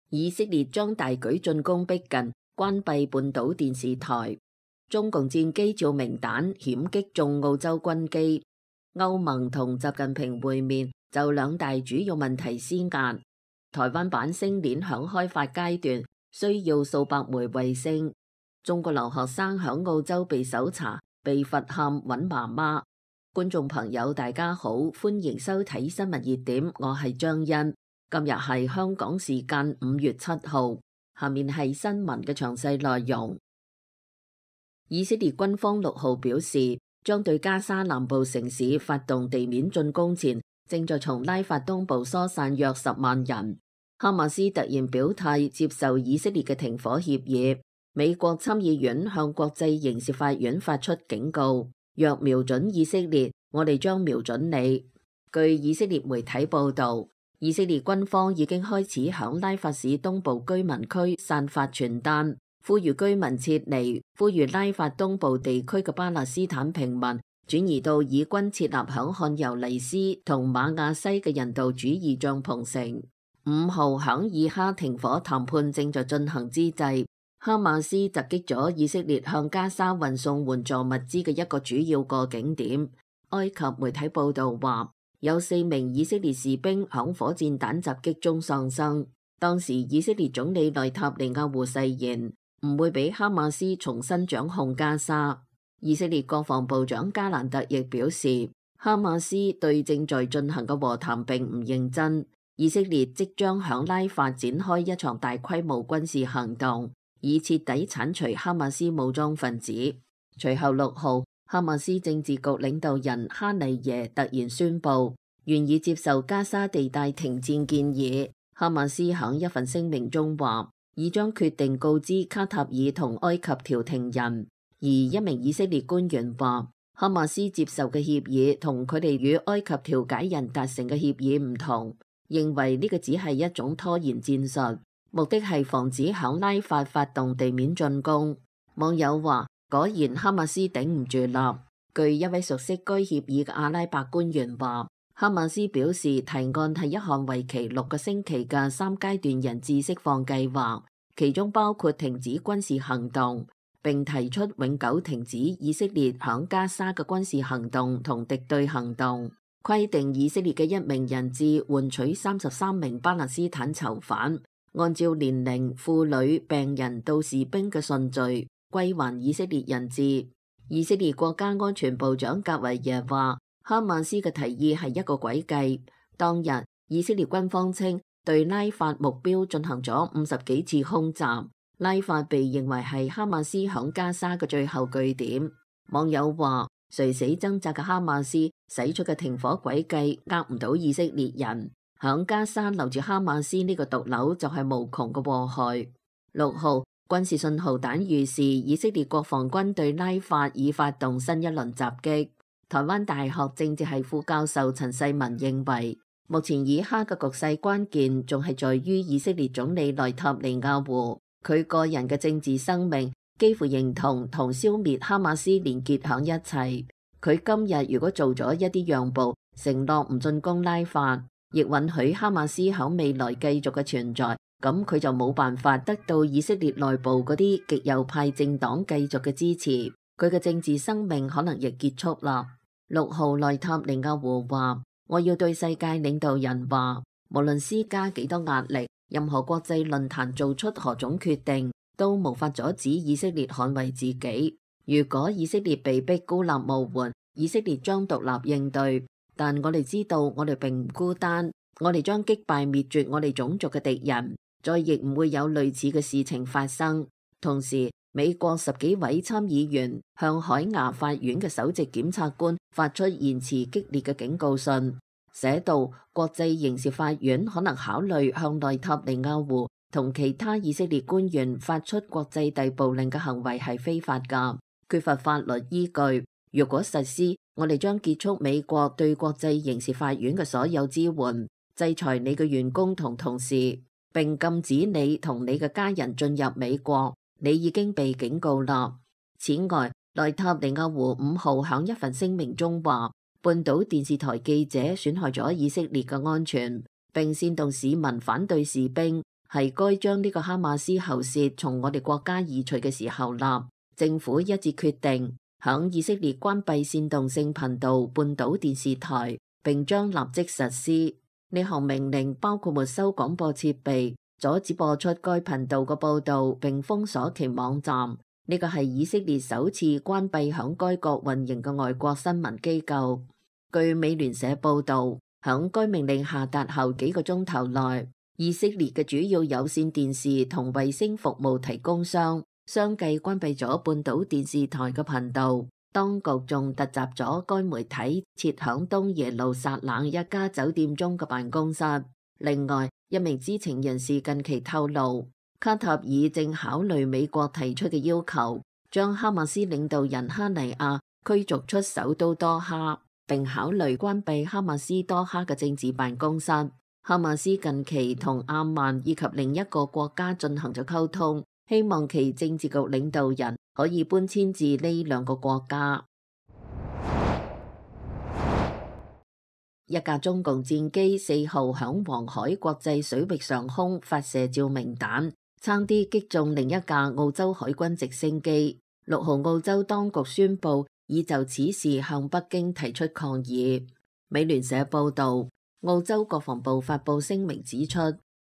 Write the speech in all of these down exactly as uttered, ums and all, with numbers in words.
以色列將大舉進攻逼近，關閉半島電視台。中共戰機照明彈險擊中澳洲軍機。歐盟同習近平會面，就兩大主要問題施壓。台灣版星鏈響開發階段，需要數百枚衛星。中國留學生響澳洲被搜查，被罰喊揾媽媽。觀眾朋友大家好，歡迎收睇新聞熱點，我係張欣。今日係香港時間五月七號，下面係新聞嘅詳細內容。以色列軍方六號表示，將對加沙南部城市發動地面進攻前，正在從拉法東部疏散約十萬人。哈馬斯突然表態接受以色列嘅停火協議。美國參議院向國際刑事法院發出警告，若瞄準以色列，我哋將瞄準你。據以色列媒體報道，以色列軍方已經開始響拉法市東部居民區散發傳單，呼籲居民撤離，呼籲拉法東部地區嘅巴勒斯坦平民轉移到以軍設立響漢尤尼斯同馬亞西嘅人道主義帳篷城。五號響以哈停火談判正在進行之際，哈馬斯襲擊咗以色列向加沙運送援助物資嘅一個主要過境點。埃及媒體報道話，有四名以色列士兵響火箭彈襲擊中喪生。當時以色列總理內塔尼亞胡誓言唔會俾哈馬斯重新掌控加沙。以色列國防部長加蘭特亦表示，哈馬斯對正在進行嘅和談並唔認真。以色列即將響拉法展開一場大規模軍事行動，以徹底剷除哈馬斯武裝分子。隨後六號，哈馬斯政治局領導人哈尼耶突然宣布願意接受加沙地帶停戰建議。哈馬斯響一份聲明中話，已將決定告知卡塔爾同埃及調停人。而一名以色列官員話，哈馬斯接受嘅協議同佢哋與埃及調解人達成嘅協議唔同，認為呢個只係一種拖延戰術，目的係防止響拉法發動地面進攻。網友話，果然哈馬斯頂唔住啦。據一位熟悉該協議嘅阿拉伯官員話，哈馬斯表示提案係一項為期六個星期嘅三階段人質釋放計劃，其中包括停止軍事行動，並提出永久停止以色列響加沙嘅軍事行動同敵對行動，規定以色列嘅一名人質換取三十三名巴勒斯坦囚犯，按照年齡、婦女、病人到士兵嘅順序歸還以色列人質。以色列國家安全部長格維耶話，哈馬斯嘅提議係一個詭計。當日以色列軍方稱對拉法目標進行咗五十幾次空襲，拉法被認為係哈馬斯響加沙嘅最後據點。網友話，垂死掙扎嘅哈馬斯使出嘅停火詭計呃唔到以色列人，響加沙留住哈馬斯呢個毒瘤就係無窮嘅禍害。六號軍事信號彈預示以色列國防軍對拉法已發動新一輪襲擊。台灣大學政治系副教授陳世文認為，目前以哈嘅局勢關鍵仲係在於以色列總理內塔尼亞胡，佢個人嘅政治生命幾乎認同同消滅哈馬斯連結響一齊。佢今日如果做咗一啲讓步，承諾唔進攻拉法，亦允許哈馬斯響未來繼續嘅存在，咁佢就冇辦法得到以色列內部嗰啲極右派政黨繼續嘅支持，佢嘅政治生命可能亦結束啦。六號內塔尼亞胡話，我要對世界領導人話，無論施加幾多壓力，任何國際論壇做出何種決定，都無法阻止以色列捍衛自己。如果以色列被逼孤立無援，以色列將獨立應對，但我哋知道我哋並唔孤單，我哋將擊敗滅絕我哋種族嘅敵人，再亦唔會有類似嘅事情發生。同時，美國十幾位參議員向海牙法院嘅首席檢察官發出言辭激烈嘅警告信，寫道國際刑事法院可能考慮向內塔尼亞胡同其他以色列官員發出國際逮捕令嘅行為係非法㗎，缺乏法律依據。如果實施，我哋將結束美國對國際刑事法院嘅所有支援，制裁你嘅員工同同事，並禁止你同你嘅家人進入美國。你已經被警告啦。此外，內塔尼亞胡五號響一份聲明中話，半島電視台記者損害咗以色列嘅安全，並煽動市民反對士兵，係該將呢個哈馬斯喉舌從我哋國家移除嘅時候立。政府一致決定響以色列關閉煽動性頻道半島電視台，並將立即實施。呢項命令包括沒收廣播設備，阻止播出該頻道嘅報導，並封鎖其網站。呢個係以色列首次關閉響該國運營嘅外國新聞機構。據美聯社報導，響該命令下達後幾個鐘頭內，以色列嘅主要有線電視同衛星服務提供商相繼關閉咗半島電視台嘅頻道。當局仲突襲咗該媒體設響東耶路撒冷一家酒店中嘅辦公室。另外，一名知情人士近期透露，卡塔爾正考慮美國提出嘅要求，將哈馬斯領導人哈尼亞驅逐出首都多哈，並考慮關閉哈馬斯多哈嘅政治辦公室。哈馬斯近期同阿曼以及另一個國家進行咗溝通，希望其政治局領導人可以搬遷至呢兩個國家。一架中共戰機四號響黃海國際水域上空發射照明彈，差啲擊中另一架澳洲海軍直升機。六號澳洲當局宣布已就此事向北京提出抗議。美聯社報道，澳洲國防部發布聲明指出，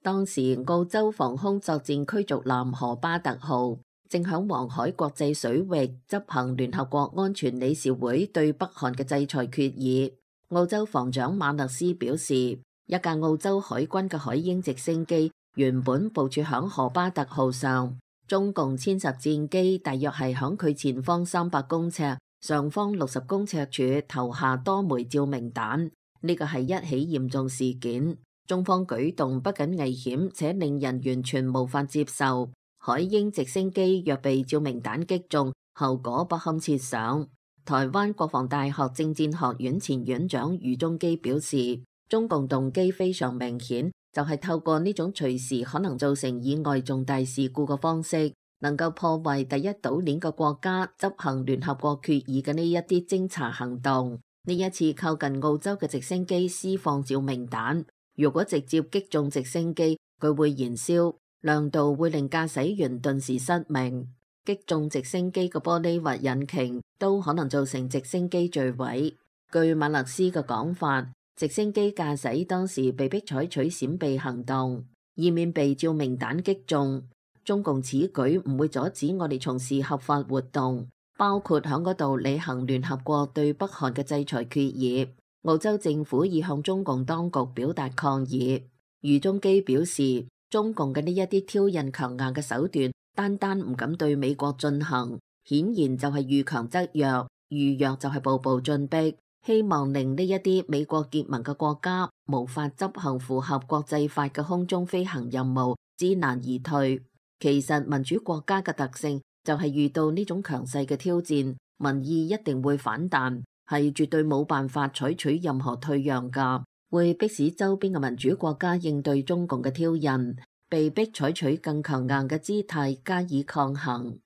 當時澳洲防空作戰驅逐艦荷巴特號正響黃海國際水域執行聯合國安全理事會對北韓嘅制裁決議。澳洲防長馬勒斯表示，一架澳洲海軍嘅海鷹直升機原本部署響荷巴特號上，中共殲十戰機大約係響佢前方三百公尺、上方六十公尺處投下多枚照明彈。呢個係一起嚴重事件，中方舉動不僅危險，且令人完全無法接受。海鷹直升機若被照明彈擊中，後果不堪設想。台灣國防大學政戰學院前院長余宗基表示，中共動機非常明顯，就係透過呢種隨時可能造成意外重大事故嘅方式，能夠破壞第一島鏈嘅國家執行聯合國決議嘅呢一啲偵查行動。呢一次靠近澳洲嘅直升機施放照明彈，如果直接擊中直升機，佢會燃燒，亮度會令駕駛員頓時失明。擊中直升機嘅玻璃或引擎都可能造成直升機墜毀。據馬勒斯嘅講法，直升機駕駛當時被迫採取閃避行動，以免被照明彈擊中。中共此舉唔會阻止我哋從事合法活動，包括響嗰度履行聯合國對北韓嘅制裁決議。澳洲政府已向中共當局表達抗議。余宗基表示，中共嘅呢一啲挑釁強硬嘅手段，單單唔敢對美國進行，顯然就係遇強則弱，遇弱就係步步進逼，希望令呢一啲美國結盟嘅國家無法執行符合國際法嘅空中飛行任務，知難而退。其實民主國家嘅特性就係遇到呢種強勢嘅挑戰，民意一定會反彈，係絕對冇辦法採取任何退讓㗎，會迫使周邊嘅民主國家應對中共嘅挑釁，被迫採取更強硬嘅姿態加以抗衡。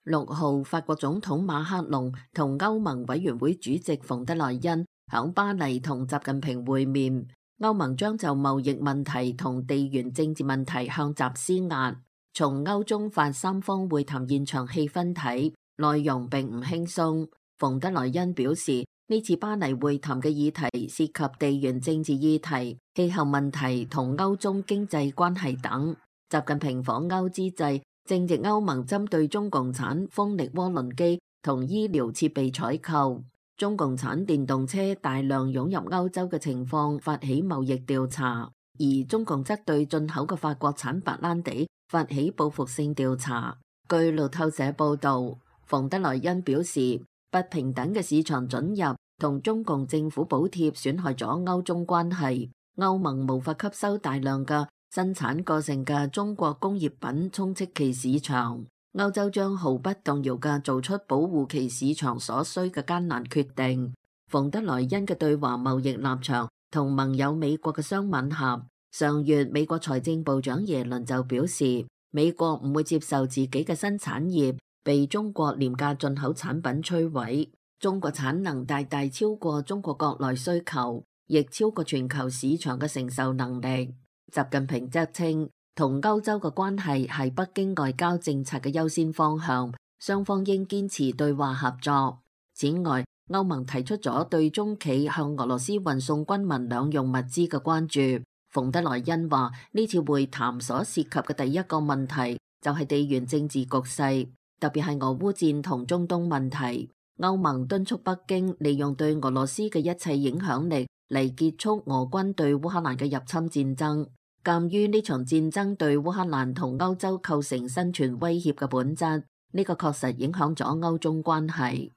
六號，法國總統馬克龍同歐盟委員會主席馮德萊恩響巴黎同習近平會面。歐盟將就貿易問題同地緣政治問題向習施壓。從歐中法三方會談現場氣氛睇，內容並唔輕鬆。馮德萊恩表示，呢次巴黎會談嘅議題涉及地緣政治議題、氣候問題同歐中經濟關係等。習近平訪歐之際，正值歐盟針對中共產風力渦輪機同醫療設備採購、中共產電動車大量湧入歐洲嘅情況發起貿易調查，而中共則對進口嘅法國產白蘭地發起報復性調查。據路透社報導，馮德萊恩表示，不平等嘅市場准入同中共政府補貼損害咗歐中關係，歐盟無法吸收大量嘅生產過剩嘅中國工業品充斥其市場。歐洲將毫不動搖嘅做出保護其市場所需嘅艱難決定。馮德萊恩嘅對華貿易立場同盟友美國嘅相吻合。上月美國財政部長耶倫就表示，美國唔會接受自己嘅新產業被中國廉價進口產品摧毀。中國產能大大超過中國國內需求，亦超過全球市場嘅承受能力。習近平則稱，同歐洲嘅關係係北京外交政策嘅優先方向，雙方應堅持對話合作。此外，歐盟提出咗對中企向俄羅斯運送軍民兩用物資嘅關注。馮德萊恩話，呢次會談所涉及嘅第一個問題就係地緣政治局勢，特別係俄烏戰同中東問題。歐盟敦促北京利用對俄羅斯嘅一切影響力嚟結束俄軍對烏克蘭嘅入侵戰爭。鑑於呢場戰爭對烏克蘭同歐洲構成生存威脅嘅本質，呢個確實影響咗歐中關係。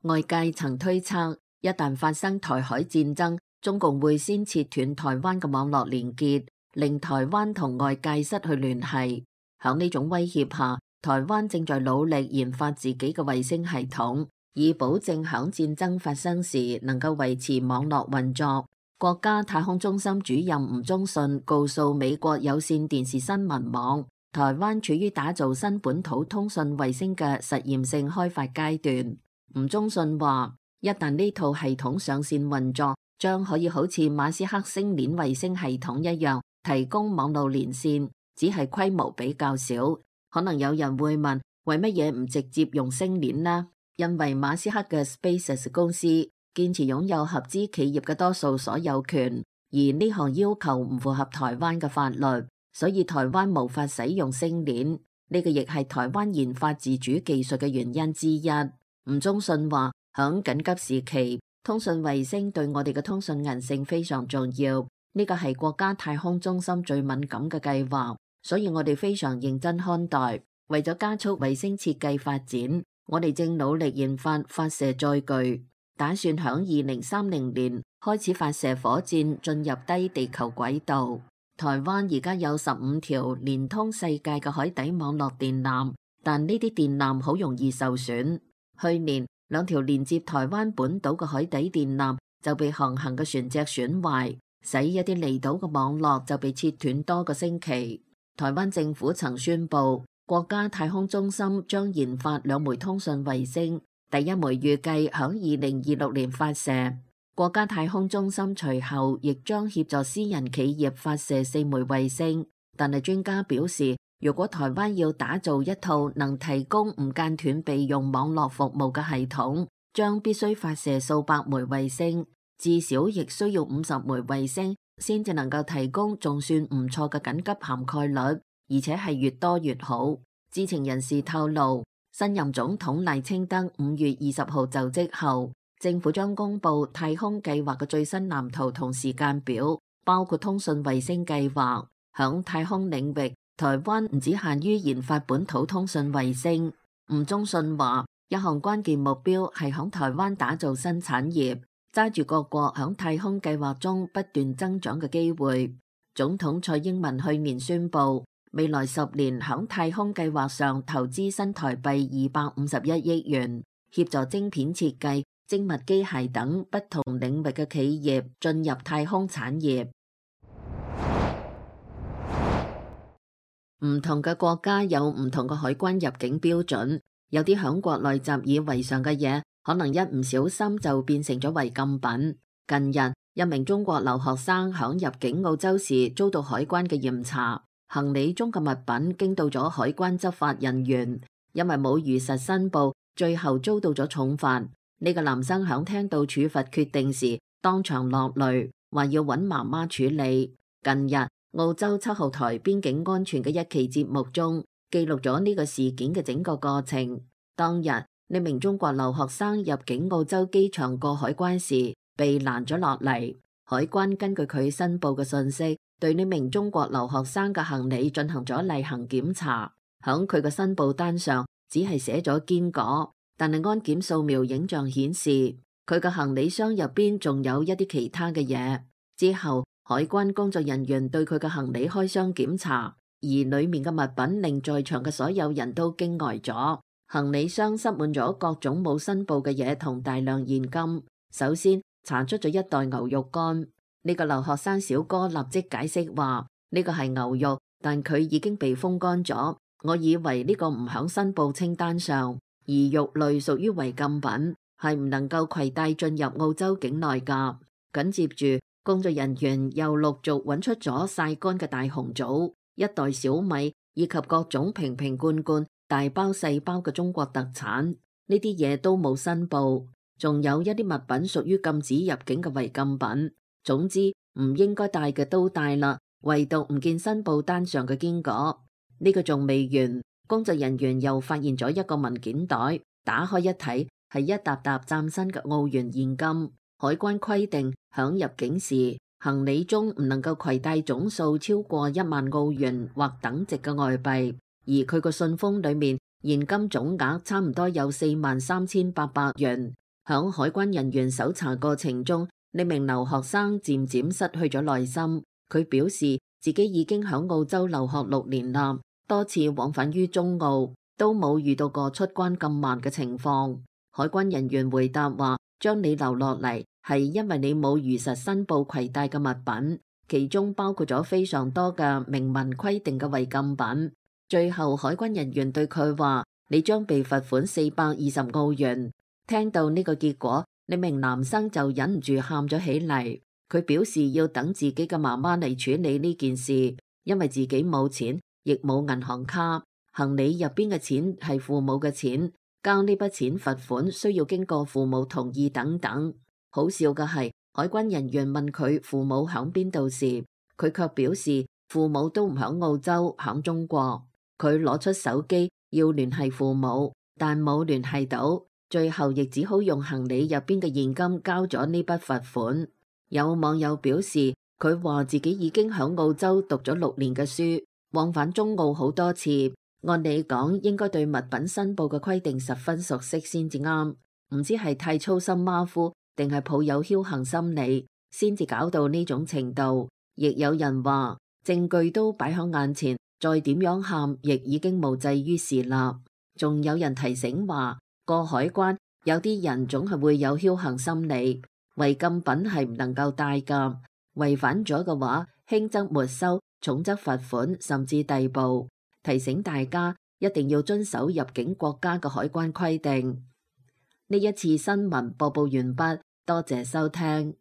外界曾推測，一旦發生台海戰爭，中共會先切斷台灣嘅網絡連結，令台灣同外界失去聯繫。響呢種威脅下，台灣正在努力研發自己嘅衛星系統，以保證響戰爭發生時能夠維持網絡運作。國家太空中心主任吳宗信告訴美國有線電視新聞網，台灣處於打造新本土通訊衛星嘅實驗性開發階段。吳宗信話，一旦呢套系統上線運作，將可以好似馬斯克星鏈衛星系統一樣，提供網絡連線，只係規模比較小。可能有人會問，為乜嘢唔直接用星鏈呢？因為馬斯克嘅 SpaceX 公司堅持擁有合資企業嘅多數所有權，而呢項要求唔符合台灣嘅法律，所以台灣無法使用星鏈。呢個亦係台灣研發自主技術嘅原因之一。吳宗信話，響緊急時期，通訊衛星對我哋嘅通訊韌性非常重要。呢個係國家太空中心最敏感嘅計劃，所以我哋非常認真看待。為咗加速衛星設計發展，我哋正努力研發發射載具，打算響二零三零年開始發射火箭進入低地球軌道。台灣而家有十五條連通世界嘅海底網絡電纜，但呢啲電纜好容易受損。去年兩條連接台灣本島嘅海底電纜就被航行嘅船隻損壞，使一啲離島嘅網絡就被切斷多個星期。台灣政府曾宣布，國家太空中心將研發兩枚通訊衛星，第一枚預計響二零二六年發射。國家太空中心隨後亦將協助私人企業發射四枚衛星，但係專家表示，如果台灣要打造一套能提供唔間斷備用網絡服務嘅系統，將必須發射數百枚衛星，至少亦需要五十枚衛星，先至能夠提供仲算唔錯嘅緊急涵蓋率，而且係越多越好。知情人士透露，新任總統賴清德五月二十號就職後，政府將公布太空計劃嘅最新藍圖同時間表，包括通訊衛星計劃。響太空領域，台灣唔只限於研發本土通訊衛星。吳宗信話，一項關鍵目標係響台灣打造新產業，揸住各國響太空計劃中不斷增長嘅機會。總統蔡英文去年宣布，未來十年響太空計劃上投資新台幣二百五十一億元，協助晶片設計、精密機械等不同領域嘅企業進入太空產業。唔同嘅國家有唔同嘅海關入境標準，有啲響國內習以為常嘅嘢，可能一唔小心就變成咗違禁品。近日，一名中國留學生響入境澳洲時遭到海關嘅嚴查，行李中嘅物品經到咗海關執法人員，因為冇如實申報，最後遭到咗重罰。呢個男生響聽到處罰決定時，當場落淚，話要揾媽媽處理。近日，澳洲七號台邊境安全嘅一期節目中，記錄咗呢個事件嘅整個過程。當日，呢名中國留學生入境澳洲機場過海關時，被攔咗落嚟。海關根據佢申報嘅信息，對呢名中國留學生嘅行李進行咗例行檢查。響佢嘅申報單上，只係寫咗堅果，但係安檢掃描影像顯示，佢嘅行李箱入邊仲有一啲其他嘅嘢。之後，海關工作人員對佢嘅行李開箱檢查，而裏面嘅物品令在場嘅所有人都驚呆咗。行李箱塞滿咗各種冇申報嘅嘢同大量現金。首先查出咗一袋牛肉乾，呢個留學生小哥立即解釋話，呢個係牛肉，但佢已經被風乾咗。我以為呢個唔響申報清單上，而肉類屬於違禁品。係唔能夠攜帶進入澳洲境內㗎。緊接住，工作人員又陸續揾出咗曬乾嘅大紅棗、一袋小米以及各種瓶瓶罐罐、大包細包嘅中國特產，呢啲嘢都冇申報。仲有一啲物品屬於禁止入境嘅違禁品。總之唔應該帶嘅都帶啦，唯獨唔見申報單上嘅堅果。呢個仲未完，工作人員又發現咗一個文件袋，打開一睇係一沓沓嶄新嘅澳元現金。海關規定響入境時行李中唔能夠攜帶總數超過一萬澳元或等值嘅外幣，而佢個信封裏面現金總額差唔多有四萬三千八百元。響海關人員搜查過程中，呢名留學生漸漸失去咗耐心。佢表示自己已經響澳洲留學六年啦，多次往返於中澳，都冇遇到過出關咁慢嘅情況。海關人員回答話，將你留落嚟係因為你冇如實申報攜帶嘅物品，其中包括咗非常多嘅明文規定嘅違禁品。最後海關人員對佢話，你將被罰款四百二十澳元。聽到呢個結果，呢名男生就忍唔住喊咗起嚟。佢表示要等自己嘅媽媽嚟處理呢件事，因為自己冇錢，亦冇銀行卡，行李入邊嘅錢係父母嘅錢，交呢筆錢罰款需要經過父母同意等等。好笑嘅係，海關人員問佢父母響邊度時，佢卻表示父母都唔響澳洲，響中國。佢攞出手機要聯繫父母，但冇聯繫到。最後亦只好用行李入邊嘅現金交咗呢筆罰款。有網友表示，佢話自己已經響澳洲讀咗六年嘅書，往返中澳好多次。按理講，應該對物品申報嘅規定十分熟悉先至啱，唔知係太粗心馬虎，定係抱有僥倖心理，先至搞到呢種程度。亦有人話，證據都擺喺眼前，再點樣喊，亦已經無濟於事啦。仲有人提醒話，過海關有啲人總係會有僥倖心理，違禁品係唔能夠帶㗎，違反咗嘅話，輕則沒收，重則罰款，甚至逮捕。提醒大家一定要遵守入境國家嘅海關規定。呢一次新聞播報完畢，多謝收聽。